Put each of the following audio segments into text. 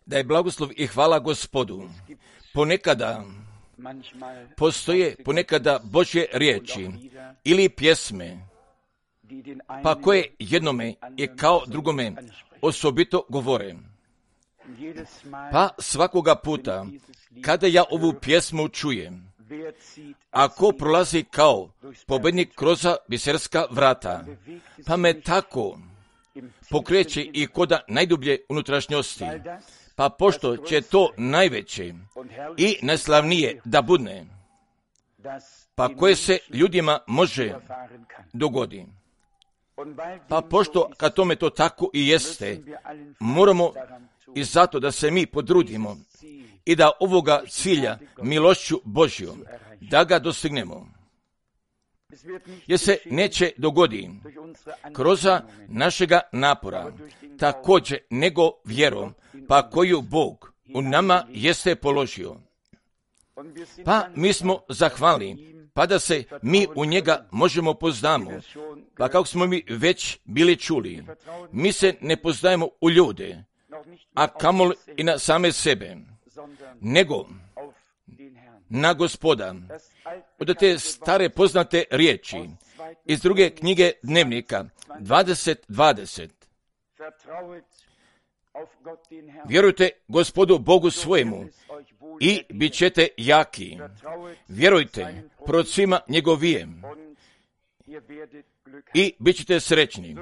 Da je blagoslov i hvala Gospodu. Ponekada postoje Božje riječi ili pjesme, pa koje jednome i kao drugome osobito govore. Pa svakoga puta, kada ja ovu pjesmu čujem, ako prolazi kao pobednik kroz biserska vrata, pa me tako pokreće i koda najdublje unutrašnjosti, pa pošto će to najveće i najslavnije da budne, pa koje se ljudima može dogodi. Pa pošto kad tome to tako i jeste, moramo i zato da se mi podrudimo i da ovoga cilja milošću Božjom, da ga dostignemo. Jer se neće dogodi kroz našega napora, također nego vjerom, pa koju Bog u nama jeste položio. Pa mi smo zahvalni, pa da se mi u njega možemo poznamo. Pa kako smo mi već bili čuli, mi se ne poznajemo u ljude, a kamoli i na same sebe, nego na Gospoda. Od te stare poznate riječi iz druge knjige Dnevnika 20:20. Vjerujte Gospodu Bogu svojemu i bit ćete jaki. Vjerujte prorocima njegovijem i bit ćete srećni.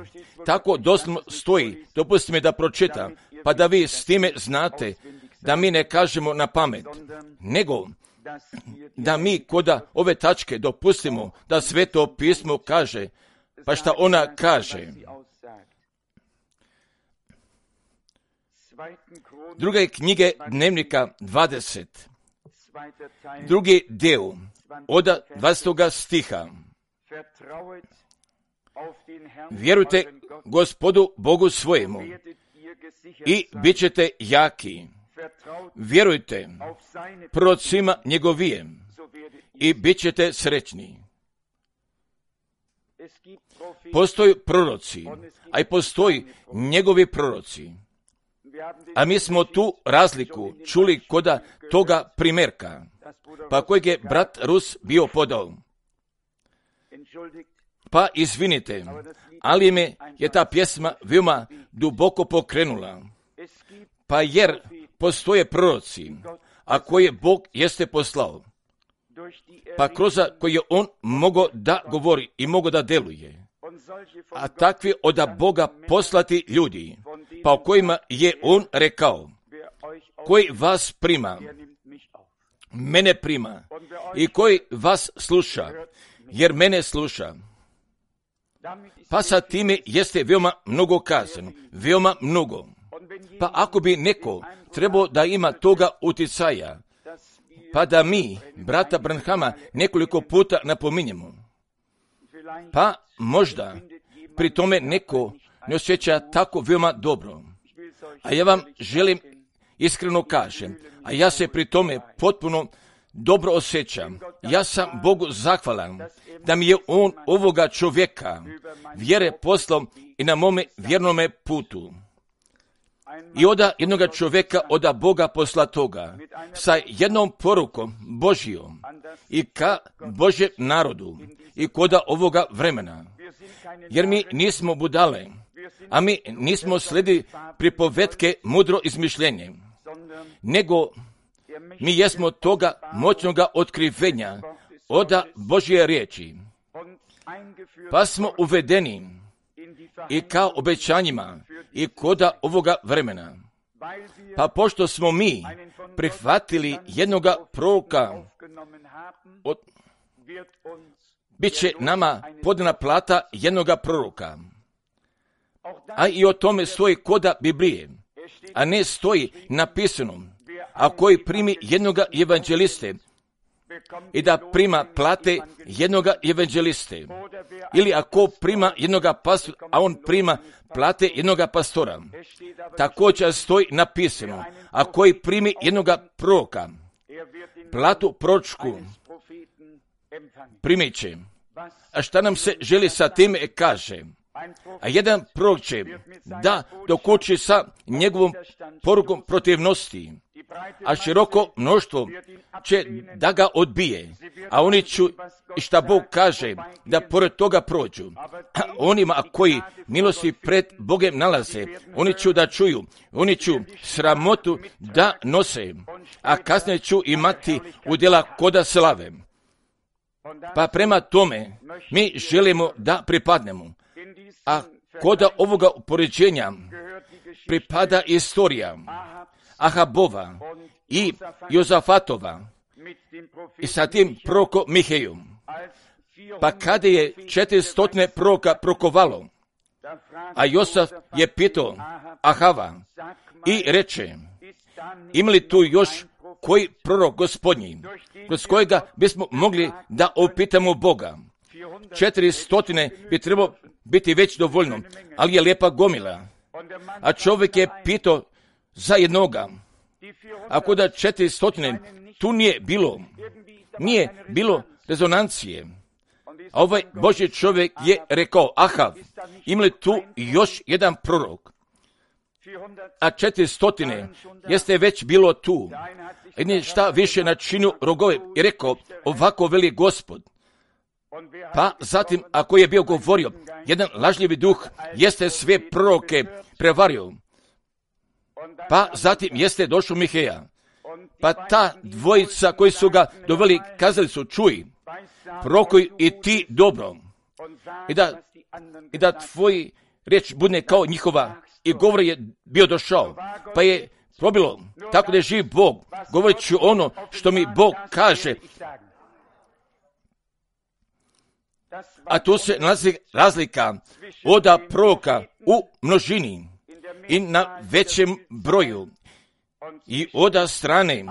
Tako doslovno stoji, dopustite mi da pročitam, pa da vi s time znate da mi ne kažemo na pamet, nego da mi koda ove tačke dopustimo da Sveto pismo kaže, pa šta ona kaže. Druge knjige Dnevnika 20, drugi dio od 20. stiha. Vjerujte Gospodu Bogu svojemu i bit ćete jaki. Vjerujte prorocima njegovijem i bit ćete srećni. Postoji proroci, a i postoji njegovi proroci. A mi smo tu razliku čuli koda toga primjerka, pa kojeg je brat Rus bio podao. Pa izvinite, ali me je ta pjesma veoma duboko pokrenula. Pa jer postoje proroci, a koje Bog jeste poslao, pa kroz koje je on mogao da govori i mogao da deluje. A takvi od Boga poslati ljudi, pa o kojima je on rekao, koji vas prima, mene prima, i koji vas sluša, jer mene sluša. Pa sa time jeste veoma mnogo kazano, veoma mnogo. Pa ako bi neko trebao da ima toga uticaja, pa da mi, brata Branhama, nekoliko puta napominjemo, pa možda pri tome neko ne osjeća tako veoma dobro. A ja vam želim iskreno kažem, a ja se pri tome potpuno dobro osjećam. Ja sam Bogu zahvalan da mi je on ovoga čovjeka vjere poslao i na mome vjernome putu. I od jednoga čovjeka od Boga poslatoga sa jednom porukom Božijom i ka Božjem narodu i koda ovoga vremena. Jer mi nismo budale, a mi nismo sledili pripovetke mudro izmišljenje, nego mi jesmo toga moćnoga otkrivenja od Božje riječi. Pa smo uvedeni i kao obećanjima i koda ovoga vremena. Pa pošto smo mi prihvatili jednoga proroka, bit će nama podana plata jednoga proroka. A i o tome stoji koda Biblije, a ne stoji napisano, a koji primi jednoga evanđeliste i da prima plate jednoga evanđeliste, ili ako prima jednoga pastora, a on prima plate jednoga pastora. Također stoji napisano, a koji primi jednoga proroka, platu proročku primit će. A šta nam se želi sa time kaže? A jedan prorok će da dokuči sa njegovom porukom protivnosti, a široko mnoštvo će da ga odbije, a oni ću, šta Bog kaže, da pored toga prođu. A onima koji milosti pred Bogem nalaze, oni ću da čuju, oni ću sramotu da nose, a kasnije ću imati udjela koda slave. Pa prema tome mi želimo da pripadnemo. A koda ovoga upoređenja pripada istorija Ahabova i Jozafatova i sa tim prorokom Mihejom. Pa kada je 400 proroka prokovalo, a Josaf je pitao Ahava i reče, ima li tu još koji prorok gospodnji, kroz kojega bismo mogli da opitamo Boga? 400 bi trebalo biti već dovoljno, ali je lijepa gomila. A čovjek je pitao za jednoga. Ako da 400 tu nije bilo rezonancije. A ovaj Božji čovjek je rekao, Ahav, ima li tu još jedan prorok? A 400 jeste već bilo tu. I šta više načinio rogove i rekao, ovako veli Gospod. Pa zatim, ako je bio govorio, jedan lažljivi duh jeste sve proroke prevario. Pa zatim jeste došao Miheja. Pa ta dvojica koji su ga doveli, kazali su, čuj, prorokuj i ti dobro. I da tvoji riječ bude kao njihova. I govor je bio došao. Pa je probilo, tako da je živ Bog. Govorit ću ono što mi Bog kaže. A tu se nalazi razlika od proroka u množini i na većem broju i od strane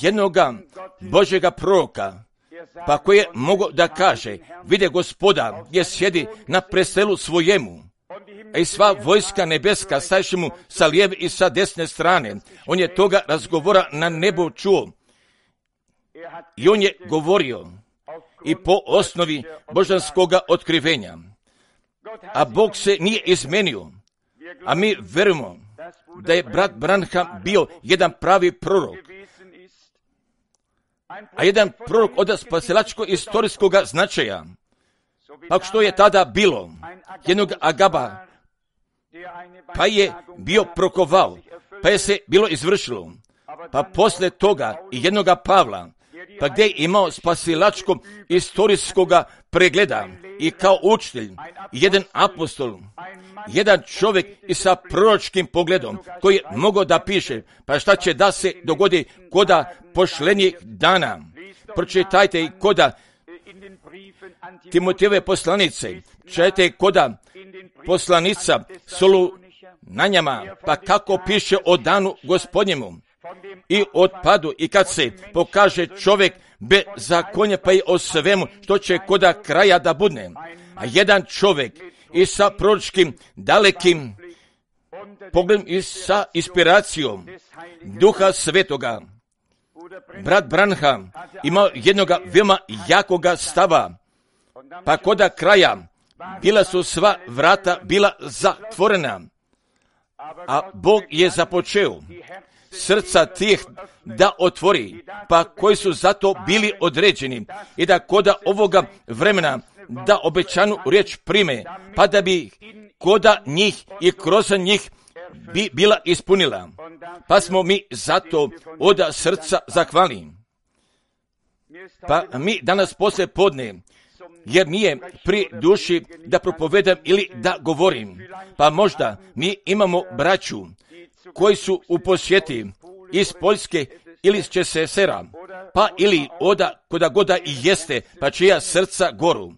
jednoga Božjega proroka, pa koji je mogao da kaže, vide Gospoda gdje sjedi na prestolu svojemu, a i sva vojska nebeska stajše mu sa lijeve i sa desne strane. On je toga razgovora na nebu čuo i on je govorio i po osnovi božanskoga otkrivenja. A Bog se nije izmenio, a mi verujemo da je brat Branham bio jedan pravi prorok, a jedan prorok od spasilačko-istorijskog značaja. Pa što je tada bilo? Jednog Agaba, pa je bio prokovao, pa je se bilo izvršilo. Pa posle toga i jednoga Pavla, pa gdje je imao spasilačkog istorijskog pregleda i kao učitelj, jedan apostol, jedan čovjek i sa proročkim pogledom koji je mogao da piše, pa šta će da se dogodi koda pošlenjih dana. Pročitajte i koda Timotejeve poslanice, čitajte koda poslanica Solunjanima, pa kako piše o danu Gospodnjemu i otpadu, i kad se pokaže čovjek bez zakonja, pa i o svemu što će koda kraja da budne. A jedan čovjek i sa proročkim dalekim pogledom i sa inspiracijom Duha Svetoga, brat Branham imao jednoga veoma jakoga stava, pa koda kraja bila su sva vrata bila zatvorena, a Bog je započeo srca tih da otvori, pa koji su zato bili određeni i da koda ovoga vremena da obećanu riječ prime, pa da bi koda njih i kroz njih bi bila ispunila. Pa smo mi zato od srca zahvalni. Pa mi danas poslije podne, jer nije pri duši da propovedam ili da govorim, pa možda mi imamo braću koji su u posjeti iz Poljske ili iz ČSSR-a, pa ili oda koda goda i jeste, pa čija srca goru.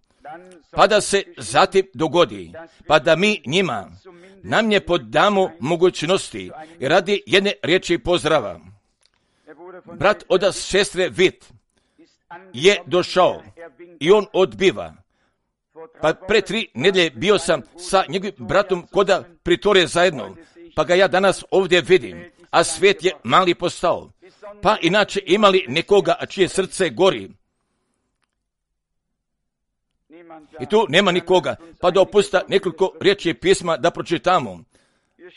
Pa da se zatim dogodi, pa da mi njima nam je podamo mogućnosti i radi jedne riječi pozdrava. Brat od sestre Vit je došao i on odbiva. Pa pre 3 nedelje bio sam sa njegovim bratom koda pritore zajedno, pa ga ja danas ovdje vidim, a svijet je mali postao. Pa inače imali nekoga čije srce gori. I tu nema nikoga, pa dopusta nekoliko riječi pisma da pročitamo.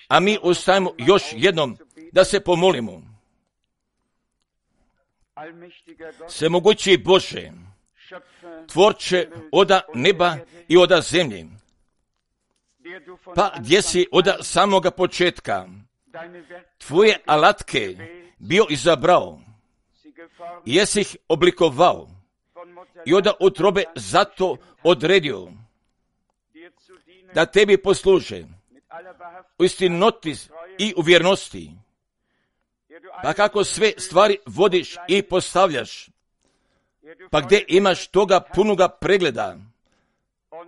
A mi ostajemo još jednom da se pomolimo. Svemogući Bože, tvorče oda neba i oda zemlje, pa gdje si oda samoga početka tvoje alatke bio izabrao, jesi ih oblikovao i oda utrobe zato odredio da tebi posluže u istinoti i u vjernosti. Pa kako sve stvari vodiš i postavljaš, pa gdje imaš toga punoga pregleda,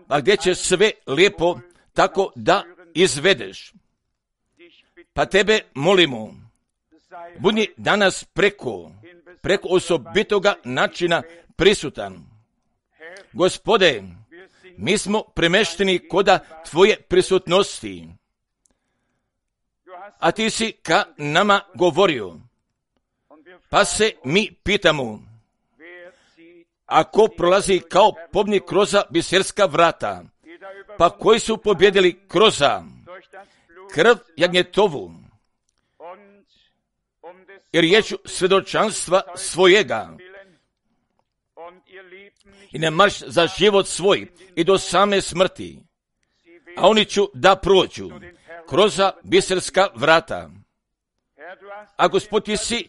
pa gdje će sve lijepo tako da izvedeš. Pa tebe molimo, budi danas preko osobitoga načina prisutan. Gospode, mi smo premešteni koda tvoje prisutnosti, a ti si ka nama govorio. Pa se mi pitamo, ako prolazi kao pobnik kroza biserska vrata, pa koji su pobjedili kroza krv jagnjetovu i riječu svjedočanstva svojega i ne marš za život svoj i do same smrti, a oni ću da prođu kroza biserska vrata. A Gospod, ti si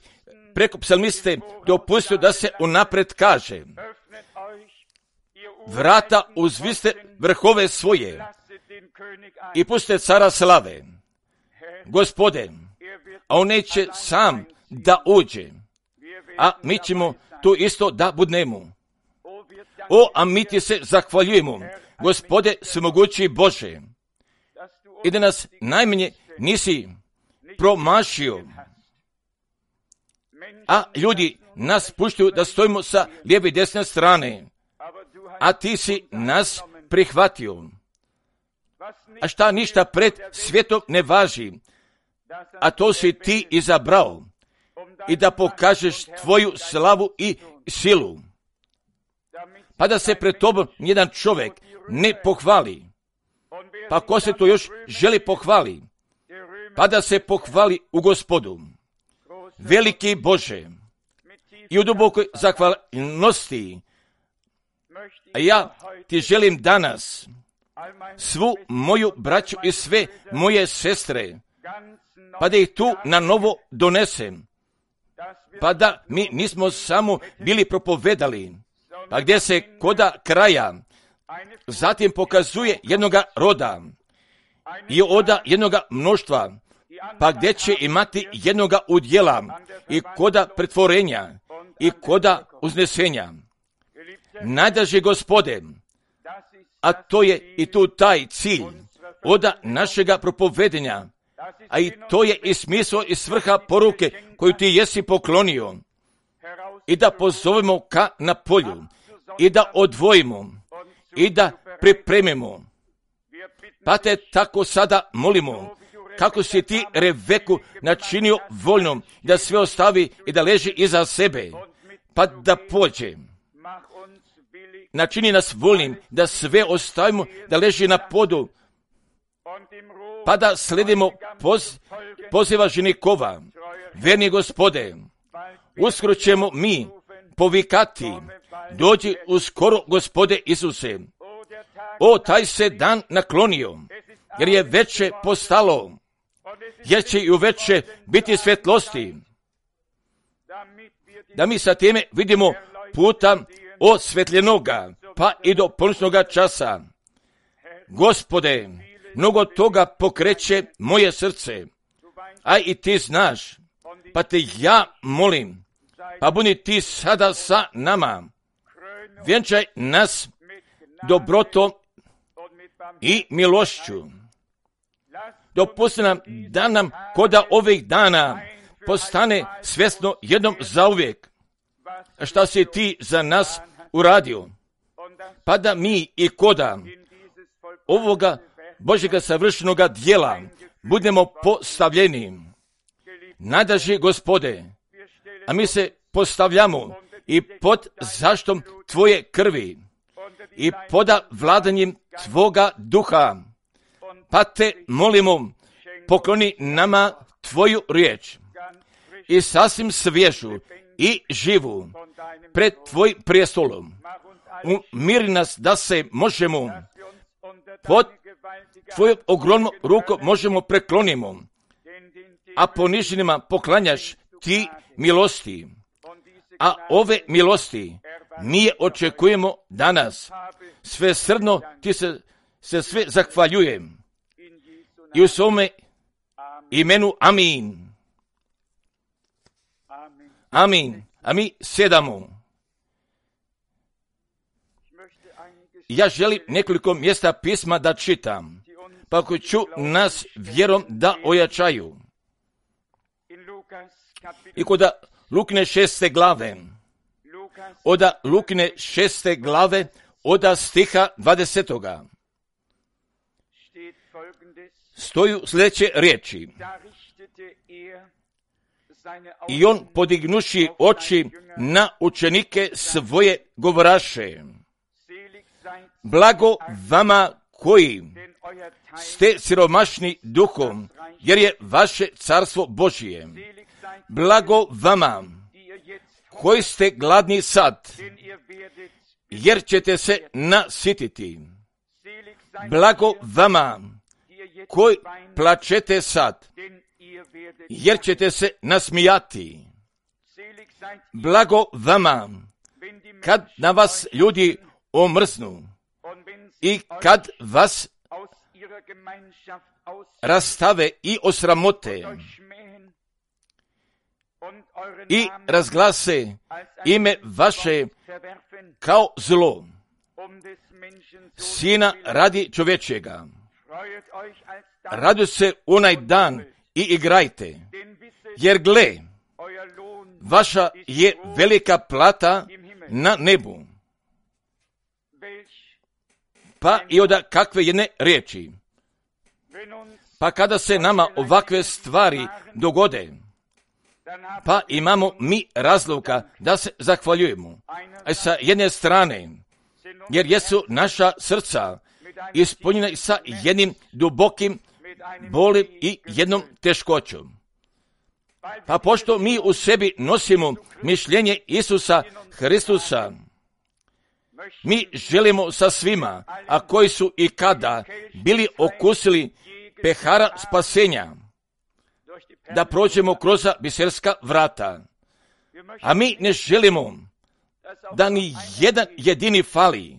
preko psalmiste dopustio da se unapred kaže, vrata uzviste vrhove svoje i puste cara slave. Gospode, a on neće sam da uđe, a mi ćemo tu isto da budnemo. A mi ti se zahvaljujemo, Gospode svemogući Bože, i da nas najmanje nisi promašio, a ljudi nas puštaju da stojimo sa lijeve i desne strane, a ti si nas prihvatio. A šta ništa pred svijetom ne važi, a to si ti izabrao, i da pokažeš tvoju slavu i silu, pa da se pred tobom jedan čovjek ne pohvali. Pa ko se to još želi pohvali? Pa da se pohvali u Gospodu. Veliki Bože, i u dubokoj zahvalnosti, a ja ti želim danas svu moju braću i sve moje sestre, pa da ih tu na novo donesem, pa da mi nismo samo bili propovedali, pa gdje se koda kraja zatim pokazuje jednoga roda i oda jednoga mnoštva, pa gdje će imati jednoga udjela i koda pretvorenja i koda uznesenja. Najdraži Gospode, a to je i tu taj cilj oda našega propovedenja, a i to je i smisao i svrha poruke koju ti jesi poklonio, i da pozovemo ka na polju, i da odvojimo, i da pripremimo. Pa te tako sada molimo, kako si ti Rebeku načinio voljnom, da sve ostavi i da leži iza sebe, pa da pođe. Načini nas voljnim da sve ostavimo, da leži na podu, pa da sledimo poziva ženikova. Verni Gospode, uskoro ćemo mi povikati, dođi uskoro Gospode Isuse. Taj se dan naklonio, jer je veće postalo, jer će i u veće biti svjetlosti, da mi sa time vidimo puta osvetljenoga, pa i do ponoćnoga časa. Gospode, mnogo toga pokreće moje srce, a i ti znaš, pa te ja molim, pa budi ti sada sa nama, vjenčaj nas dobrotom i milošću. Dopusti nam da nam koda ovih dana postane svjesno jednom zauvijek šta si ti za nas uradio, pa da mi i koda ovoga Božjega savršenoga djela budemo postavljeni. Najdraži Gospode, a mi se postavljamo i pod zaštom tvoje krvi i poda vladanjem Tvoga duha. Pa te molimo, pokloni nama Tvoju riječ i sasvim svježu i živu pred Tvojim prijestolom. Umiri nas da se možemo pod Tvojom ogromnom rukom možemo preklonimo, a poniženima poklanjaš Ti milosti. A ove milosti mi je očekujemo danas. Sve srdno Ti se sve zahvaljujem. I u svome imenu amin. Amin. A mi sjedamo. Ja želim nekoliko mjesta pisma da čitam, pa ako ću nas vjerom da ojačaju. I kod Lukine 6. glave, od Lukine 6. glave, od stiha 20. stoju sljedeće riječi. I on podignuši oči na učenike svoje govoraše: blago vama koji ste siromašni duhom, jer je vaše carstvo Božije. Blago vama koji ste gladni sad, jer ćete se nasititi. Blago vama koji plačete sad, jer ćete se nasmijati. Blago vama kad na vas ljudi omrznu i kad vas rastave i osramote i razglase ime vaše kao zlo, sina radi čovječega. Raduj se onaj dan i igrajte, jer gle, vaša je velika plata na nebu. Pa i od kakve jedne riječi. Pa kada se nama ovakve stvari dogode, pa imamo mi razloga da se zahvaljujemo. A sa jedne strane, jer jesu naša srca ispunjena sa jednim dubokim bolim i jednom teškoćom. Pa pošto mi u sebi nosimo mišljenje Isusa Hristusa, mi želimo sa svima, a koji su i kada bili okusili pehara spasenja, da prođemo kroz biserska vrata. A mi ne želimo da ni jedan jedini fali,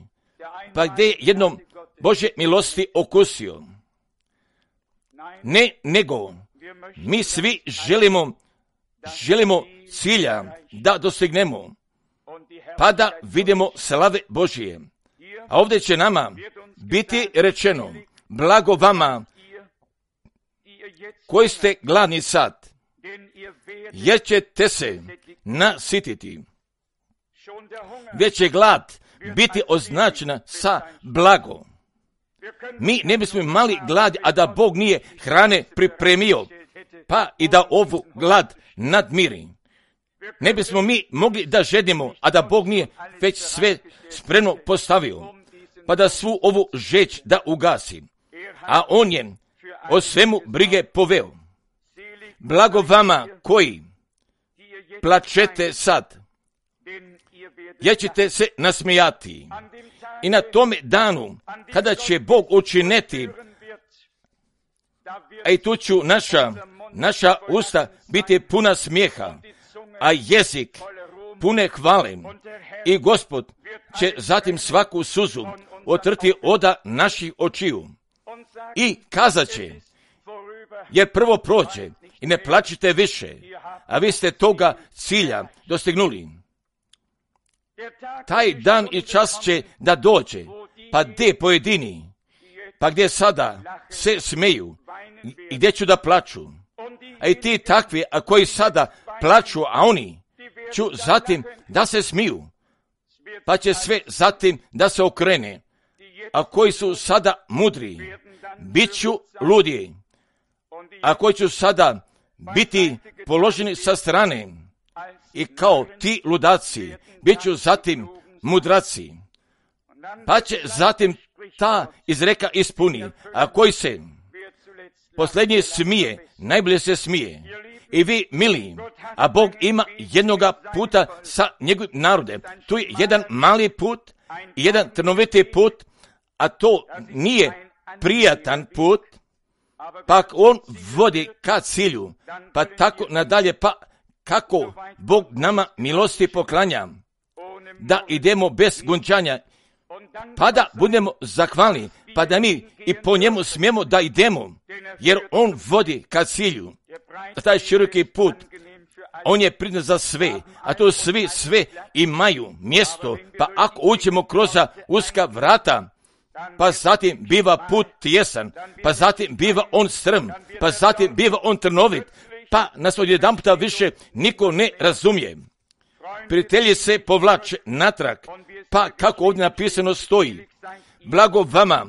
pa gdje je jednom Božje milosti okusio. Ne, nego mi svi želimo cilja da dostignemo, pa da vidimo slave Božije. A ovdje će nama biti rečeno: blago vama koji ste gladni sad, jer ćete se nasititi. Već će glad biti označena sa blago. Mi ne bismo imali glad, a da Bog nije hrane pripremio, pa i da ovu glad nadmiri. Ne bismo mi mogli da žedimo, a da Bog nije već sve spremno postavio, pa da svu ovu žeć da ugasi. A on je o svemu brige poveo. Blago vama koji plačete sad, jer ćete se nasmijati. I na tome danu, kada će Bog učiniti, a i tu ću naša usta biti puna smijeha, a jezik pune hvale, i Gospod će zatim svaku suzu otrti oda naših očiju i kazat će: jer prvo prođe i ne plačite više, a vi ste toga cilja dostignuli. Taj dan i čas će da dođe, pa gdje pojedini, pa gdje sada se smeju i gdje ću da plaču. A i ti takvi, a koji sada plaču, a oni ću zatim da se smiju, pa će sve zatim da se okrene. A koji su sada mudri, bit ću ludiji, a koji ću sada biti položeni sa strane, i kao ti ludaci, bit ću zatim mudraci. pa će zatim ta izreka ispuni, a koji se posljednji smije, najbolje se smije. I vi, mili, a Bog ima jednoga puta sa njegovim narodem. Tu je jedan mali put i jedan trnoviti put, a to nije prijatan put, pa on vodi ka cilju, pa tako nadalje, pa kako Bog nama milosti poklanja, da idemo bez gunčanja, pa da budemo zahvalni, pa da mi i po njemu smijemo da idemo, jer on vodi ka cilju. Taj široki put, on je priznat za sve, a to svi sve imaju mjesto, pa ako uđemo kroz uska vrata, pa zatim biva put tjesan, pa zatim biva on strm, pa zatim biva on trnovit, pa nas odjedanputa više niko ne razumije. Prijatelji se povlače natrag, pa kako ovdje napisano stoji, blago vama,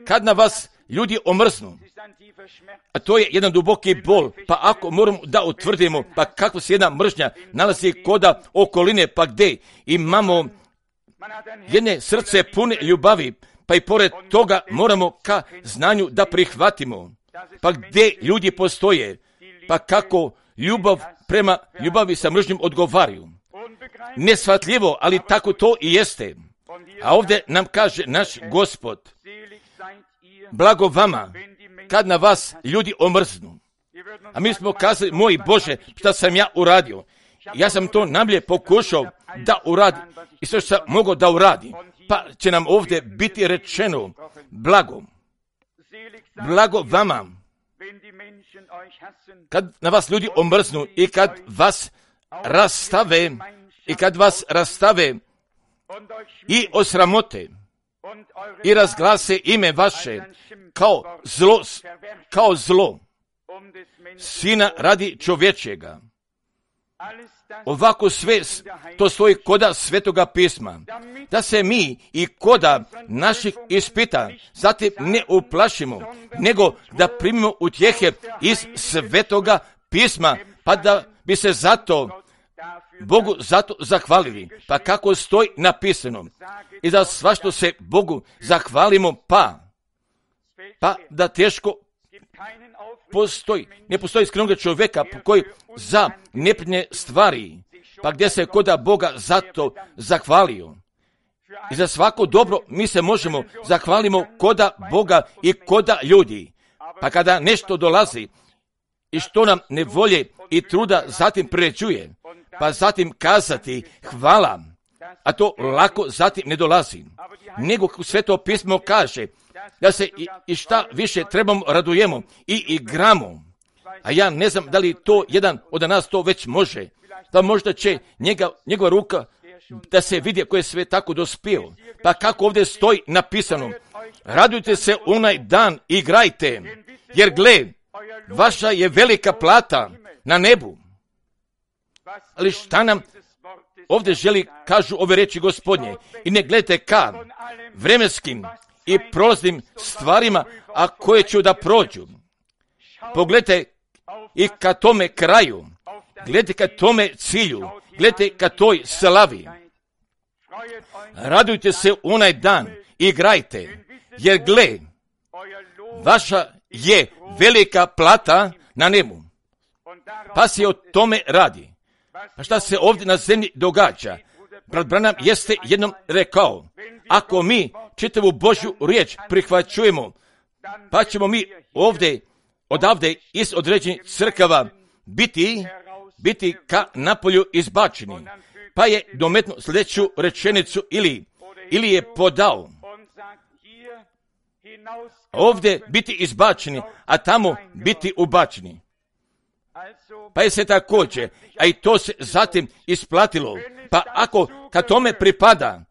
kad na vas ljudi omrznu, a to je jedan duboki bol, pa ako moramo da utvrdimo, pa kako se jedna mržnja nalazi koda okoline, pa gdje imamo jedne srce pune ljubavi, pa i pored toga moramo ka znanju da prihvatimo, pa gdje ljudi postoje, pa kako ljubav prema ljubavi sa mržnjom odgovaraju. Nesvatljivo, ali tako to i jeste. A ovdje nam kaže naš Gospod, blago vama, kad na vas ljudi omrznu. A mi smo kazali, moj Bože, šta sam ja uradio? Ja sam to najbolje pokušao da uradim i sve što sam mogao da uradim. Pa će nam ovdje biti rečeno, blago vama, kad na vas ljudi omrznu i kad vas rastave i osramote i razglase ime vaše kao zlo sina radi čovječega. Ovako sve to stoji koda Svetoga pisma, da se mi i koda naših ispita zatim ne uplašimo, nego da primimo utjehe iz Svetoga pisma, pa da bi se Bogu zato zahvalili, pa kako stoji napisano. I za svašto se Bogu zahvalimo, pa da teško ne postoji skrenuga čovjeka koji za neprijatne stvari, pa gdje se koda Boga zato zahvalio. I za svako dobro mi se možemo zahvalimo koda Boga i koda ljudi. Pa kada nešto dolazi i što nam nevolje i truda zatim priređuje, pa zatim kazati hvala, a to lako zatim ne dolazi. Nego Sveto pismo kaže da se i šta više trebamo radujemo i igramo. A ja ne znam da li to jedan od nas to već može. Da možda će njegova ruka da se vidi koje je sve tako dospio. Pa kako ovdje stoji napisano, radujte se onaj dan, igrajte, jer gle, vaša je velika plata na nebu. Ali šta nam ovdje želi, kažu ove reči Gospodnje, i ne gledajte ka vremenskim i prolaznim stvarima, a koje će da prođu. Pogledajte i ka tome kraju, gledajte ka tome cilju, gledajte ka toj slavi. Radujte se onaj dan, igrajte, jer gle, vaša je velika plata na nebu. Pa se o tome radi. Pa šta se ovdje na zemlji događa? Brat Branham jeste jednom rekao, ako mi čitavu Božju riječ prihvaćujemo, pa ćemo mi odavde iz određenih crkava biti ka napolju izbačeni. Pa je dometno sljedeću rečenicu ili je podao. Ovdje biti izbačeni, a tamo biti ubačeni. Pa je se također, a i to se zatim isplatilo. Pa ako ka tome pripada,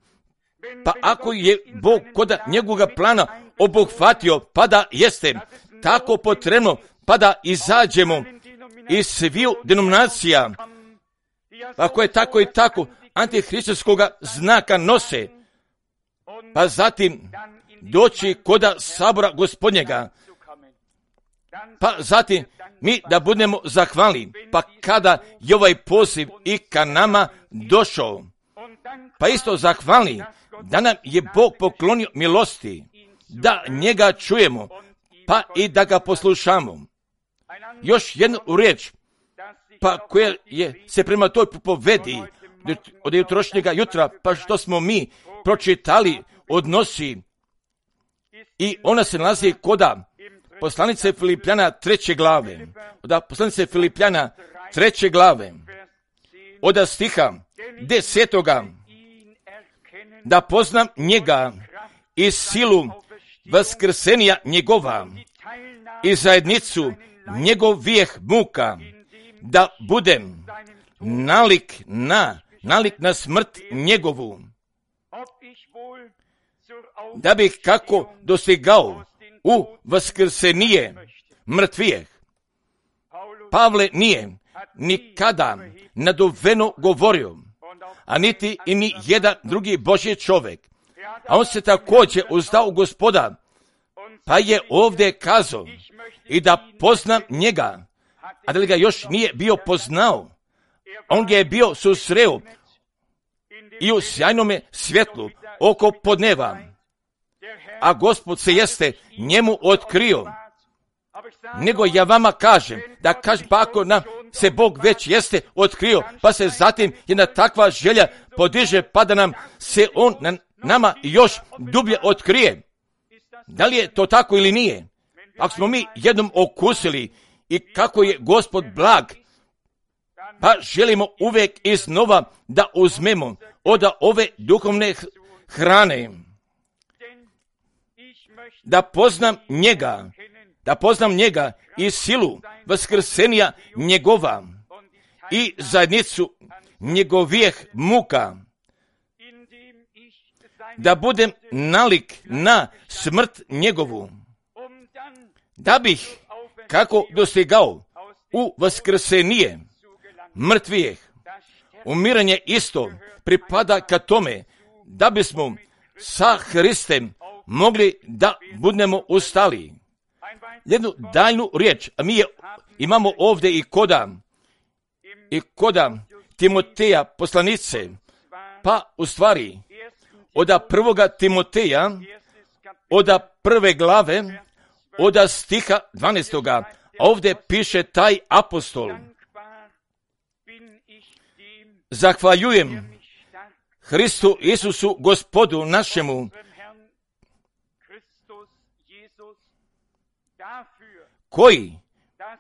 pa ako je Bog koda njegovoga plana obuhvatio, pa da jeste tako potrebno, pa da izađemo iz sviju denominacija, pa koje tako i tako antihristovskoga znaka nose, pa zatim doći koda sabora Gospodnjega, pa zatim mi da budemo zahvalni, pa kada je ovaj poziv i ka nama došao, Pa isto zahvalni da nam je Bog poklonio milosti, da njega čujemo, pa i da ga poslušamo. Još jednu riječ, pa koja se prema toj povedi od jutrošnjega jutra, pa što smo mi pročitali, odnosi, i ona se nalazi koda poslanice Filipljana 3. glave, od poslanice Filipljana 3. glave, od stiha 10. da poznam njega i silu vaskrsenja njegova i zajednicu njegovih muka, da budem nalik na smrt njegovu, da bih kako dostigao u vaskrsenije mrtvijeh. Pavle nije nikada naduveno govorio, a niti i ni jedan drugi Božji čovjek. A on se također uzdao u Gospoda, pa je ovdje kazao i da poznam njega, a da li ga još nije bio poznao, on ga je bio susreo i u sjajnome svjetlu oko podneva, a Gospod se jeste njemu otkrio. Nego ja vama kažem, da kažem, pa ako nam se Bog već jeste otkrio, pa se zatim jedna takva želja podiže, pa da nam se on nama još dublje otkrije. Da li je to tako ili nije? Ako smo mi jednom okusili i kako je Gospod blag, pa želimo uvijek iznova da uzmemo od ove duhovne hrane, da poznam njega i silu vaskrsenja njegova i zajednicu njegovih muka, da budem nalik na smrt njegovu, da bih kako dostigao u vaskrsenije mrtvijeh. Umiranje isto pripada ka tome da bismo sa Hristem mogli da budemo ustali. Jednu daljnu riječ, a mi je imamo ovdje i koda Timoteja poslanice, pa u stvari od 1. Timoteja, od 1. glave, od stiha 12. A ovdje piše taj apostol: zahvaljujem Hristu Isusu Gospodu našemu, koji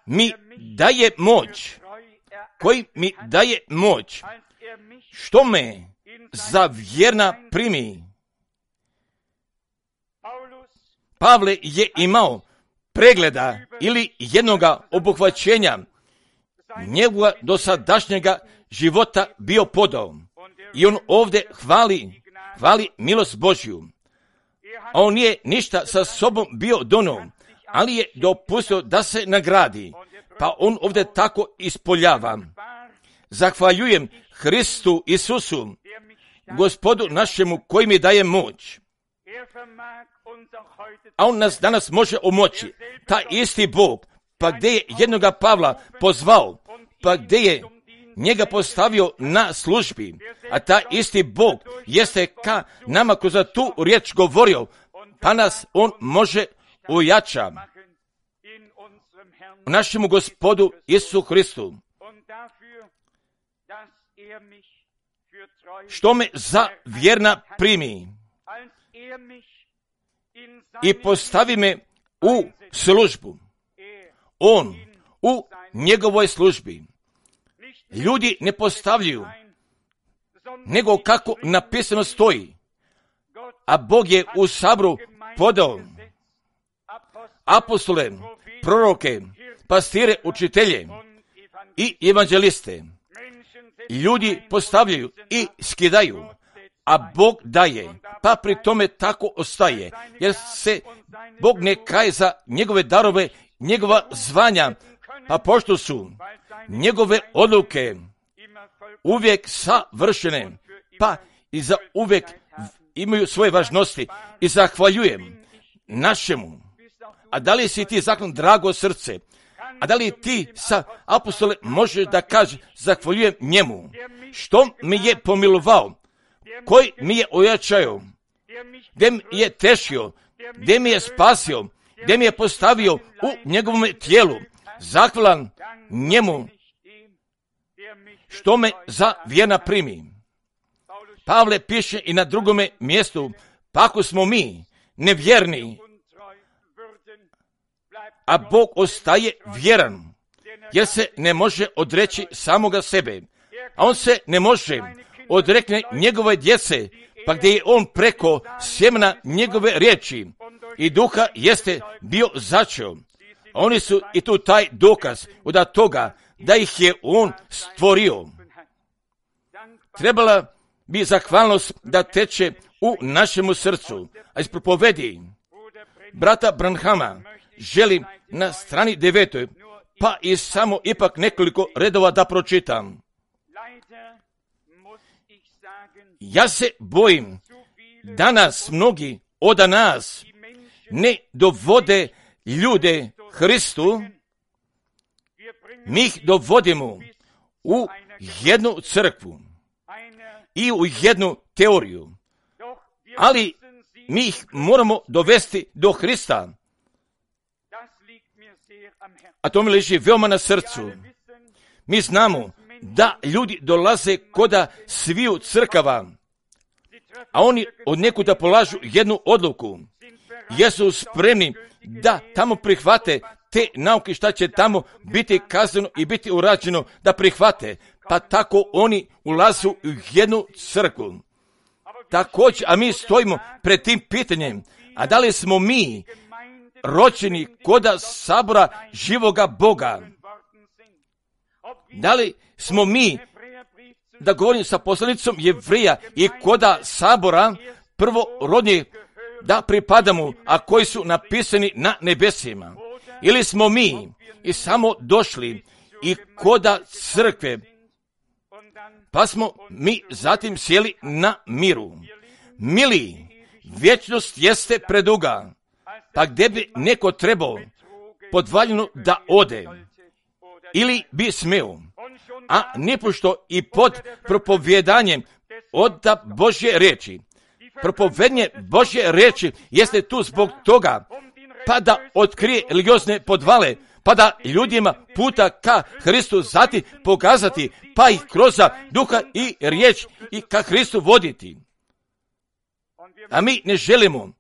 mi daje moć, što me za vjerna primi. Pavle je imao pregleda ili jednoga obuhvaćenja njegova dosadašnjega života bio podao. I on ovdje hvali milost Božju. A on nije ništa sa sobom bio donio, ali je dopustio da se nagradi. Pa on ovdje tako ispoljava: zahvaljujem Hristu Isusu, Gospodu našemu, koji mi daje moć. A on nas danas može omoći. Taj isti Bog, pa gdje je jednoga Pavla pozvao, pa gdje je njega postavio na službi, a taj isti Bog jeste ka nama kroz tu riječ govorio, pa nas on može ojača u našemu Gospodu Isusu Hristu, što me za vjerna primi i postavi me u službu. On u njegovoj službi. Ljudi ne postavljaju, nego kako napisano stoji. A Bog je u sabru podao apostole, proroke, pastire, učitelje i evanđeliste. Ljudi postavljaju i skidaju, a Bog daje, pa pri tome tako ostaje, jer se Bog ne kaje za njegove darove, njegova zvanja, pa pošto su njegove odluke uvijek savršene, pa i za uvijek imaju svoje važnosti. I zahvaljujem našemu. A da li si ti zakon drago srce? A da li ti sa apostole možeš da kaže zahvaljujem njemu, što mi je pomilovao koji mi je ojačao, gdje mi je tešio, gdje mi je spasio, gdje mi je postavio u njegovom tijelu, zahvalan njemu što me za vjerna primi. Pavle piše i na drugome mjestu, pa ako smo mi nevjerni, a Bog ostaje vjeran, jer se ne može odreći samoga sebe, a on se ne može odrekne njegove djece, pa gdje je on preko sjemena njegove riječi i duha jeste bio začeo. Oni su i tu taj dokaz od toga da ih je on stvorio. Trebala bi zahvalnost da teče u našemu srcu, a iz propovedi brata Branhama želim na strani 9, pa i samo ipak nekoliko redova da pročitam. Ja se bojim, danas mnogi od nas ne dovode ljude Hristu, mi ih dovodimo u jednu crkvu i u jednu teoriju, ali mi ih moramo dovesti do Hrista. A to mi leži veoma na srcu. Mi znamo da ljudi dolaze koda sviju crkava, a oni od nekuda polažu jednu odluku. Jesu spremni da tamo prihvate te nauke šta će tamo biti kazano i biti urađeno da prihvate. Pa tako oni ulazu u jednu crkvu. Također, a mi stojimo pred tim pitanjem, a da li smo mi rođeni koda sabora živoga Boga? Da li smo mi, da govorim sa poslanicom Jevrija, i koda sabora prvorodnih da pripadamo, a koji su napisani na nebesima? Ili smo mi i samo došli i koda crkve, pa smo mi zatim sjeli na miru? Mili, vječnost jeste preduga, pa gdje bi neko trebao podvaljeno da ode, ili bi smeo, a nipošto i pod propovjedanjem od Božje riječi. Propovedanje Božje riječi jeste tu zbog toga, pa da otkrije religiozne podvale, pa da ljudima puta ka Hristu zati pokazati, pa ih kroz duha i riječ i ka Hristu voditi. A mi ne želimo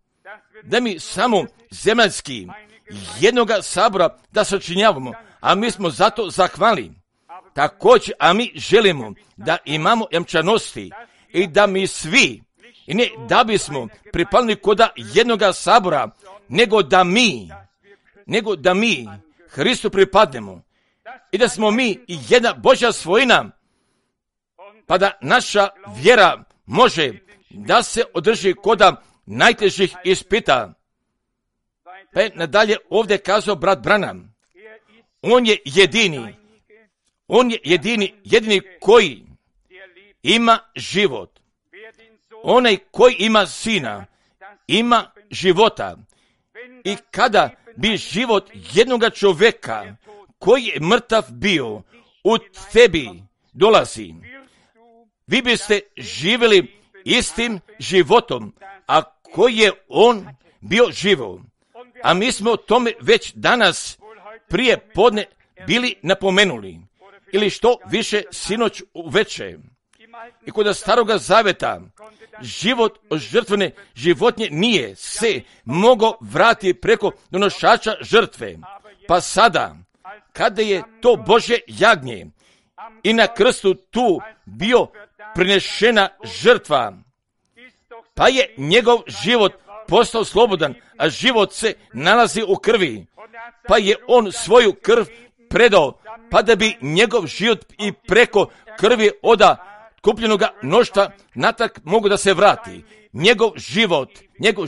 da mi samo zemaljski jednoga sabora da sačinjavamo, a mi smo zato zahvali. Također, a mi želimo da imamo jamčanosti i da mi svi, i ne da bismo pripali koda jednoga sabora, nego da mi Hristu pripadnemo i da smo mi i jedna Božja svojina, pa da naša vjera može da se održi koda najtežih ispita. Pa je nadalje ovdje kazao brat Branham, on je jedini koji ima život. Onaj koji ima sina, ima života. I kada bi život jednoga čovjeka koji je mrtav bio u tebi dolazi, vi biste živjeli istim životom, a koji je on bio živo. A mi smo o tome već danas prije podne bili napomenuli, ili što više sinoć uveče. I kod staroga zaveta život od žrtvene životinje nije se mogao vratiti preko donošača žrtve. Pa sada, kada je to Božje jagnje i na krstu tu bio prinešena žrtva, pa je njegov život postao slobodan, a život se nalazi u krvi, pa je on svoju krv predao, pa da bi njegov život i preko krvi oda kupljenoga mnoštva natrag mogu da se vrati. Njegov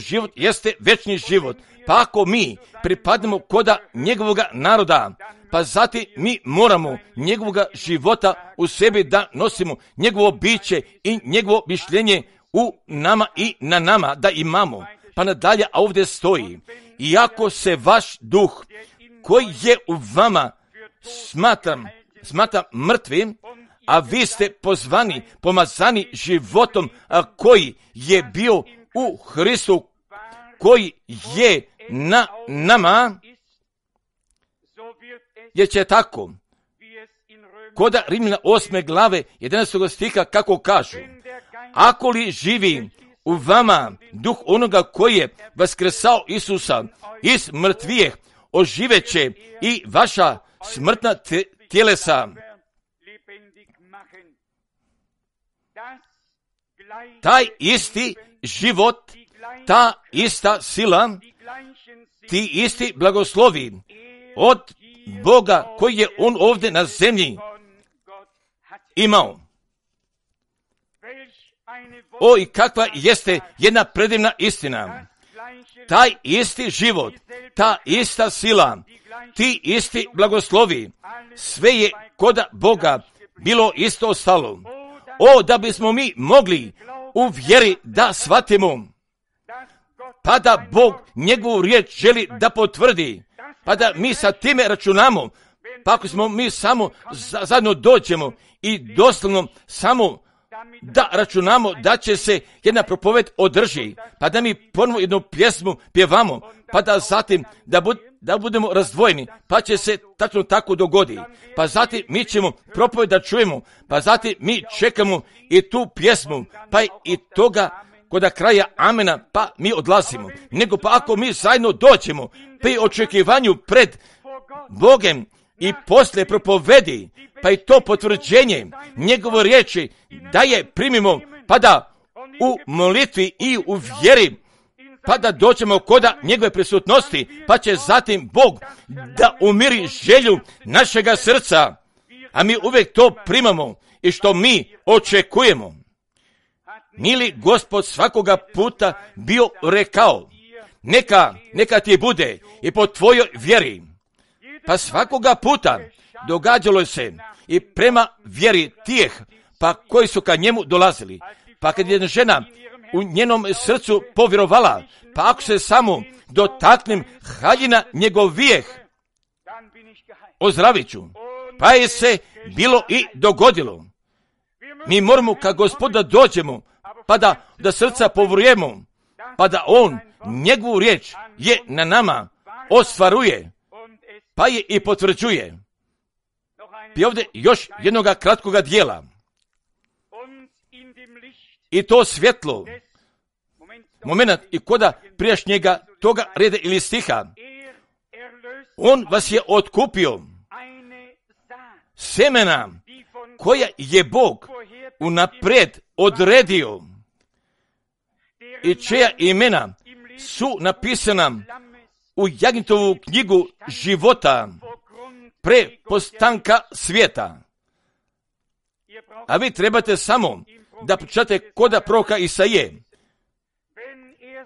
život jeste večni život. Pa ako mi pripadnemo koda njegovoga naroda, pa zatim mi moramo njegovoga života u sebi da nosimo, njegovo biće i njegovo mišljenje u nama i na nama da imamo. Pa nadalje, a ovdje stoji, iako se vaš duh koji je u vama smatra mrtvim, a vi ste pozvani, pomazani životom, koji je bio u Hristu, koji je na nama, jer će tako, kod Rimljana 8. glave 11. stiha kako kažu, ako li živi u vama duh onoga koji je vaskrsao Isusa iz mrtvijeh, oživeće i vaša smrtna tjelesa. Taj isti život, ta ista sila, ti isti blagoslovi od Boga koji je on ovdje na zemlji imao. O, i kakva jeste jedna predivna istina. Taj isti život, ta ista sila, ti isti blagoslovi, sve je kod Boga bilo isto ostalo. O, da bismo mi mogli u vjeri da shvatimo, pa da Bog njegovu riječ želi da potvrdi, pa da mi sa time računamo, pa ako smo mi samo zajedno dođemo i doslovno samo da računamo da će se jedna propoved održi, pa da mi ponovo jednu pjesmu pjevamo, pa da zatim da budemo razdvojeni, pa će se tačno tako dogodi, pa zatim mi ćemo propoved da čujemo, pa zatim mi čekamo i tu pjesmu, pa i toga kod kraja amena, pa mi odlazimo. Nego pa ako mi zajedno dođemo pri očekivanju pred Bogem i poslije propovedi, pa i to potvrđenje njegove riječi da je primimo, pa da u molitvi i u vjeri, pa da dođemo kod njegove prisutnosti, pa će zatim Bog da umiri želju našega srca, a mi uvijek to primamo i što mi očekujemo. Mili Gospod svakoga puta bio rekao, neka ti bude i po tvojoj vjeri. Pa svakoga puta događalo se i prema vjeri tijeh, pa koji su ka njemu dolazili. Pa kad je žena u njenom srcu povjerovala, pa ako se samo dotaknem haljina njegovijeh, ozdravit ću. Pa je se bilo i dogodilo. Mi moramo ka Gospoda dođemo, pa da srca povjerujemo, pa da on njegovu riječ je na nama ostvaruje, pa je i potvrđuje. I ovdje još jednoga kratkoga dijela. I to svjetlo, moment i koda prijašnjega toga reda ili stiha, on vas je otkupio semena koja je Bog unaprijed odredio i čija imena su napisana u Jagnjetovu knjigu života pre postanka svijeta. A vi trebate samo da pročitate koda proroka Isaije.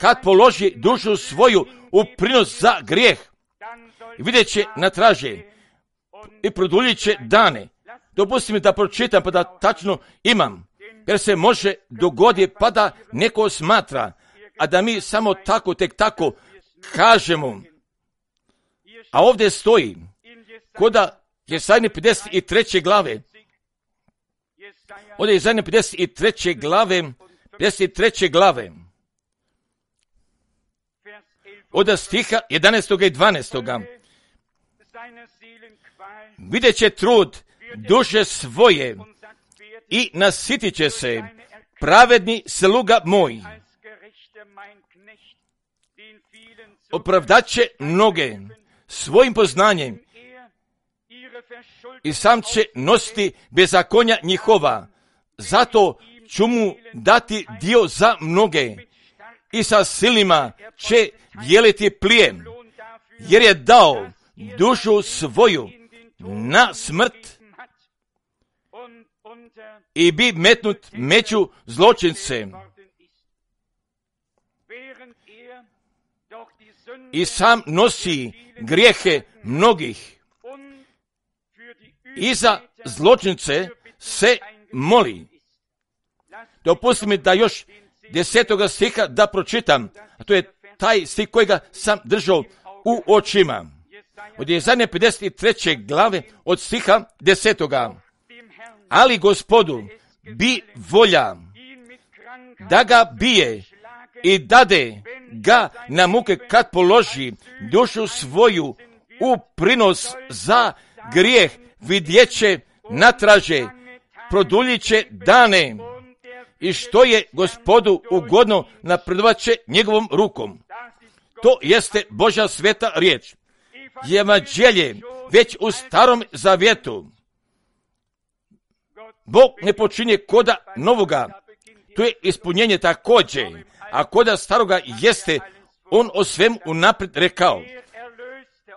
Kad položi dušu svoju u prinos za grijeh, vidjet će na traže i produljit će dane. Dopustim mi da pročitam pa da tačno imam, jer se može dogoditi pa da neko smatra, a da mi samo tako, tek tako kažemo. A ovdje stoji, koda Jesajne 53. glave, ovdje je Jesajne 53. glave, od stiha 11. i 12. Vidjet će trud duše svoje i nasitit će se pravedni sluga moj. Opravdat će mnoge svojim poznanjem i sam će nositi bezakonja njihova. Zato ću mu dati dio za mnoge i sa silima će dijeliti plijen, jer je dao dušu svoju na smrt i bi metnut među zločince. I sam nosi grijehe mnogih i za zločince se moli. Dopustite mi da još 10. stiha da pročitam, a to je taj stih kojega sam držao u očima. Od Jesajne 53. glave od stiha 10. ali Gospodu bi volja da ga bije i dade ga na muke kad položi dušu svoju u prinos za grijeh, vidjeće natraže, produljit će dane i što je Gospodu ugodno napredovat će njegovom rukom. To jeste Božja sveta riječ. Evanđelje već u Starom Zavjetu. Bog ne počinje koda novoga. To je ispunjenje također. A koda staroga jeste on o svemu unaprijed rekao.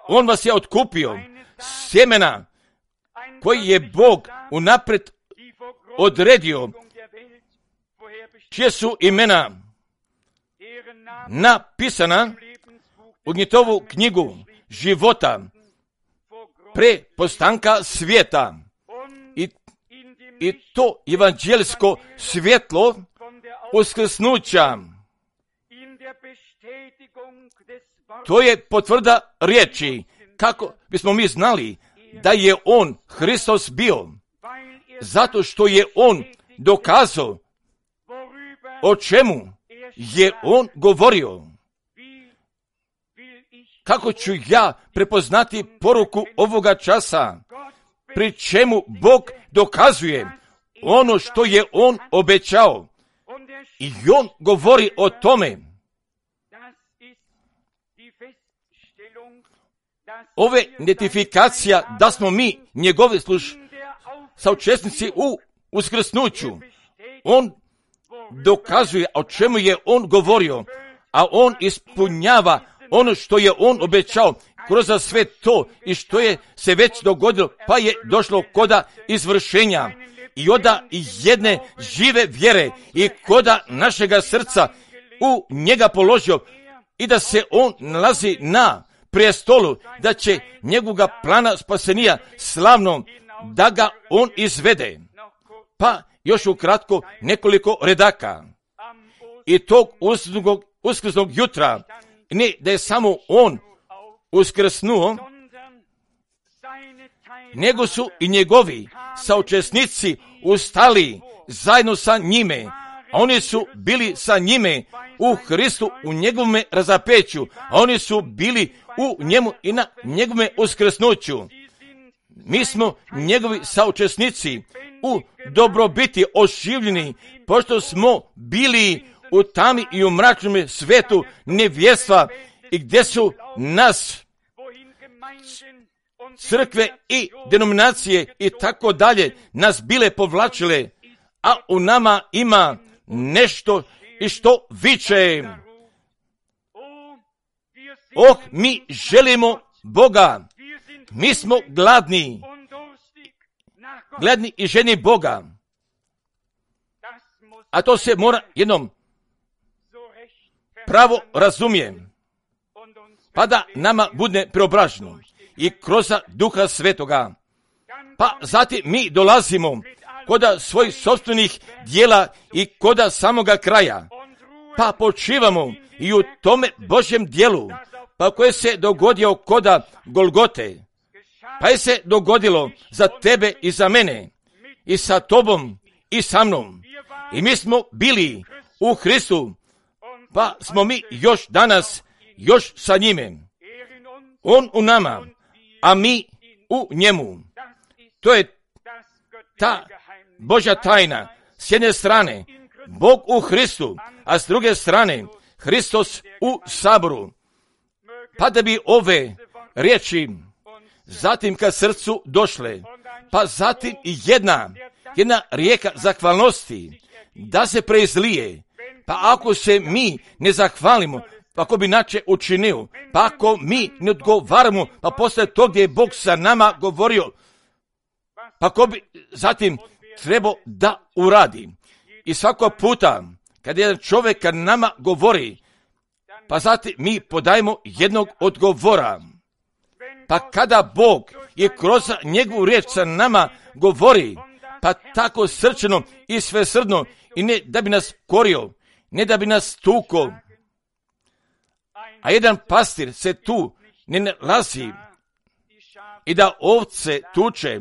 On vas je otkupio sjemena koji je Bog unaprijed odredio, čije su imena napisana u Gnjetovu knjigu života pre postanka svijeta. I to evanđelsko svjetlo uskrsnuća, to je potvrda riječi, kako bismo mi znali da je on, Hristos, bio, zato što je on dokazao o čemu je on govorio. Kako ću ja prepoznati poruku ovoga časa, pri čemu Bog dokazuje ono što je on obećao i on govori o tome. Ove identifikacija da smo mi njegovi saučesnici u uskrsnuću. On dokazuje o čemu je on govorio, a on ispunjava ono što je on obećao kroz sve to i što je se već dogodilo, pa je došlo koda izvršenja i oda jedne žive vjere i koda našega srca u njega položio i da se on nalazi na prijestolu, da će njegovoga plana spasenija slavnom, da ga on izvede. Pa još ukratko nekoliko redaka. I tog uskrsnog jutra, ne da je samo on uskrsnuo, nego su i njegovi saučesnici ustali zajedno sa njime. Oni su bili sa njime u Hristu, u njegovome razapeću. Oni su bili u njemu i na njegovome uskrsnuću. Mi smo njegovi saučesnici u dobrobiti oživljeni, pošto smo bili u tami i u mračnom svetu nevjestva i gdje su nas crkve i denominacije i tako dalje nas bile povlačile, a u nama ima nešto i što viče. Mi želimo Boga. Mi smo gladni i ženi Boga. A to se mora jednom pravo razumijem, pa da nama bude preobraženo i kroz Duha Svetoga. Pa zatim mi dolazimo koda svojih sopstvenih dijela i koda samoga kraja, pa počivamo i u tome Božjem dijelu, pa koje se dogodio koda Golgote, pa je se dogodilo za tebe i za mene, i sa tobom i sa mnom. I mi smo bili u Hristu, pa smo mi još danas, još sa njime. On u nama, a mi u njemu. To je ta Božja tajna. S jedne strane, Bog u Hristu, a s druge strane, Hristos u saboru. Pa da bi ove riječi zatim ka srcu došle, pa zatim i jedna rijeka zahvalnosti da se preizlije. Pa ako se mi ne zahvalimo, pa ako bi inače učinio, pa ako mi ne odgovaramo, pa posle to gdje je Bog sa nama govorio, pa ako bi zatim trebao da uradi. I svako puta kad jedan čovjek kad nama govori, pa zatim mi podajemo jednog odgovora. Pa kada Bog i kroz njegovu riječ sa nama govori, pa tako srčano i svesrdno, i ne da bi nas korio, ne da bi nas tuko, a jedan pastir se tu ne nalazi i da ovce tuče,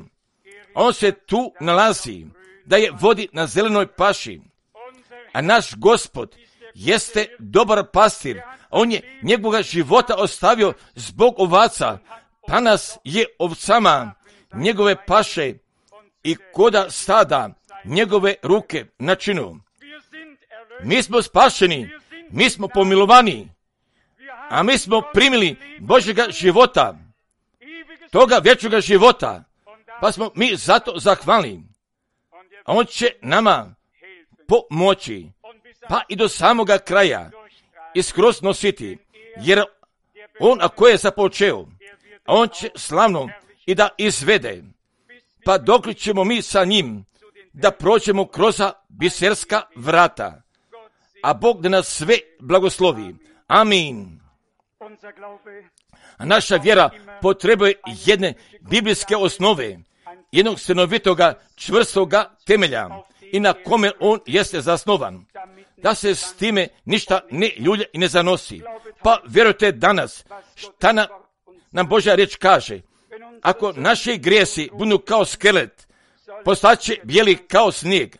On se tu nalazi, da je vodi na zelenoj paši. A naš Gospod jeste dobar pastir. On je njegovoga života ostavio zbog ovaca, pa nas je ovcama njegove paše i koda stada njegove ruke načinu. Mi smo spašeni, mi smo pomilovani, a mi smo primili Božjega života, toga vječnoga života, pa smo mi zato zahvalni. A on će nama pomoći, pa i do samoga kraja i skroz nositi, jer on ako je započeo, on će slavno i da izvede, pa dok ćemo mi sa njim da prođemo kroz biserska vrata. A Bog da nas sve blagoslovi. Amin. A naša vjera potrebuje jedne biblijske osnove, jednog stanovitoga, čvrstoga temelja i na kome on jeste zasnovan, da se s time ništa ne ljulja i ne zanosi. Pa vjerujte danas šta nam Božja riječ kaže. Ako naši grijesi budu kao skelet, postaće bijeli kao snijeg,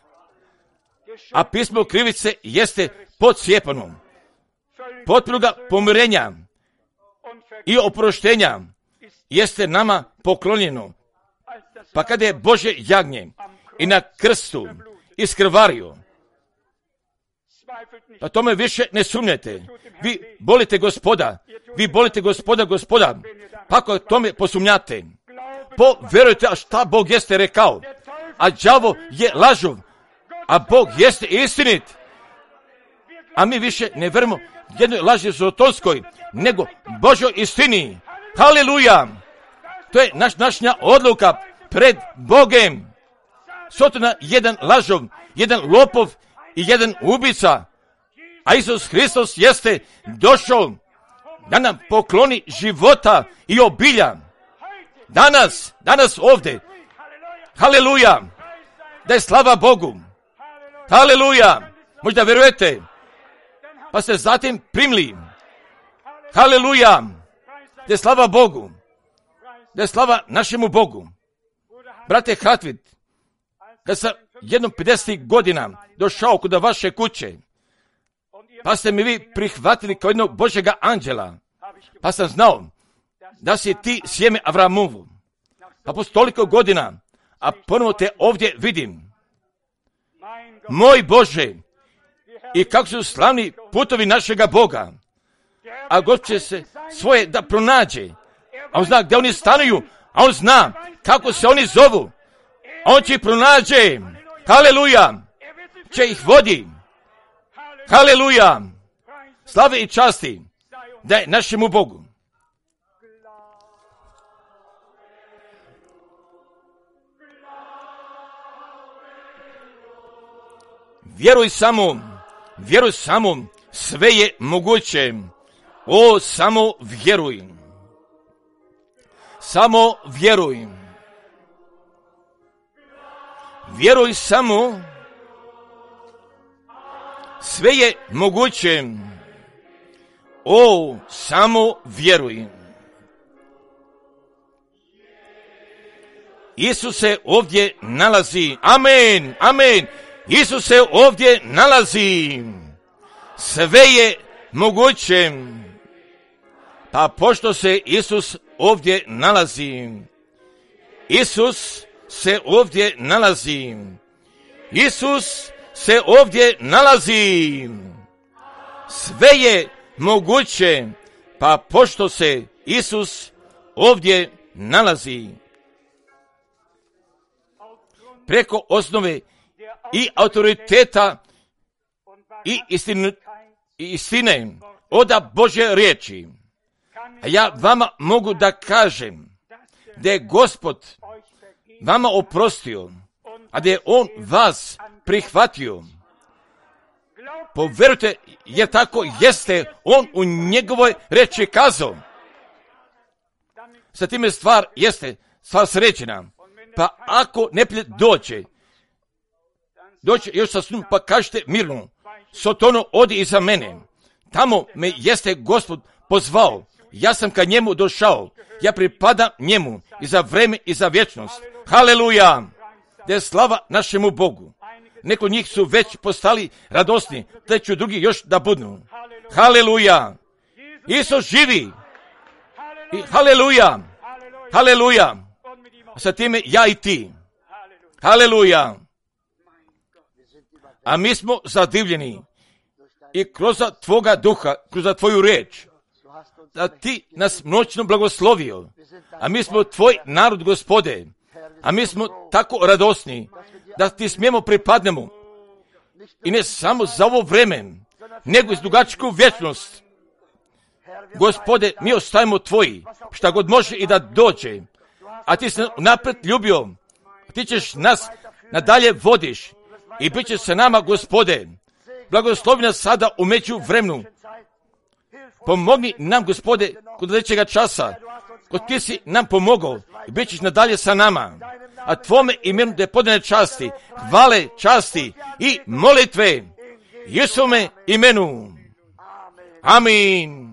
a pismo krivice jeste podsjepano. Potpunoga pomirenja i oproštenja jeste nama poklonjeno. Pa kada je Božje jagnje i na krstu iskrvario, pa tome više ne sumnjate. Vi volite Gospoda, pa ako tome posumnjate, povjerujte šta Bog jeste rekao, a đavo je lažov, a Bog jeste istinit. A mi više ne verujemo jednoj laži zotonskoj, nego Božoj istini. Haleluja! To je naša odluka pred Bogem. Sotona jedan lažov, jedan lopov i jedan ubica, a Isus Hristos jeste došao da nam pokloni života i obilja. Danas ovdje. Haleluja! Da je slava Bogu. Haleluja! Možda vjerujete, pa ste zatim primili. Haleluja! Da je slava Bogu. Da je slava našemu Bogu. Brate Hartwig, kad sam jednom 50 godina došao kod vaše kuće, pa ste mi vi prihvatili kao jednog Božjega anđela, pa sam znao da si ti sjeme Avramovu. Pa poslije toliko godina, a ponovo te ovdje vidim. Moj Bože, i kako su slavni putovi našega Boga. A Gospod će se svoje da pronađe. A on zna gdje oni stanuju, a on zna kako se oni zovu. A on će ih pronađe. Haleluja! Će ih vodi. Haleluja! Slave i časti da je našemu Bogu. Vjeruj samo, sve je moguće. O, samo vjeruj. Samo vjeruj. Vjeruj samo, sve je moguće. O, samo vjeruj. Isus se ovdje nalazi. Amen, amen. Isus se ovdje nalazi. Sve je moguće. Pa pošto se Isus ovdje nalazi, Isus se ovdje nalazi. Isus se ovdje nalazi. Sve je moguće. Pa pošto se Isus ovdje nalazi. Preko osnove i autoriteta i istine oda Božje riječi. A ja vama mogu da kažem da je Gospod vama oprostio, a da je On vas prihvatio. Povjerujte, jer tako jeste On u njegovoj riječi kazao. Sa time stvar srećena. Pa ako neprijatelj dođe još sa snom, pa kažete mirno, Sotono, odi iza mene. Tamo me jeste Gospod pozvao. Ja sam ka njemu došao. Ja pripadam njemu i za vreme i za vječnost. Haleluja! Da je slava našemu Bogu. Neko njih su već postali radosni, te ću drugi još da budu. Haleluja! Isus živi! I haleluja! Haleluja! Sa time ja i ti. Haleluja! A mi smo zadivljeni i kroz tvoga duha, kroz tvoju riječ, da ti nas noćno blagoslovio, a mi smo tvoj narod, Gospode, a mi smo tako radosni da ti smijemo pripadnemo i ne samo za ovo vreme, nego iz dugačku vječnost. Gospode, mi ostajemo tvoji, šta god može i da dođe, a ti se napred ljubio, ti ćeš nas nadalje vodiš i bit će sa nama, Gospode. Blagoslovi nas sada u međuvremenu. Pomogni nam, Gospode, kod sljedećega časa, kod ti si nam pomogao i bit ćeš nadalje sa nama. A tvome imenu da je podane časti, hvale, časti i molitve. Jesome imenu. Amin.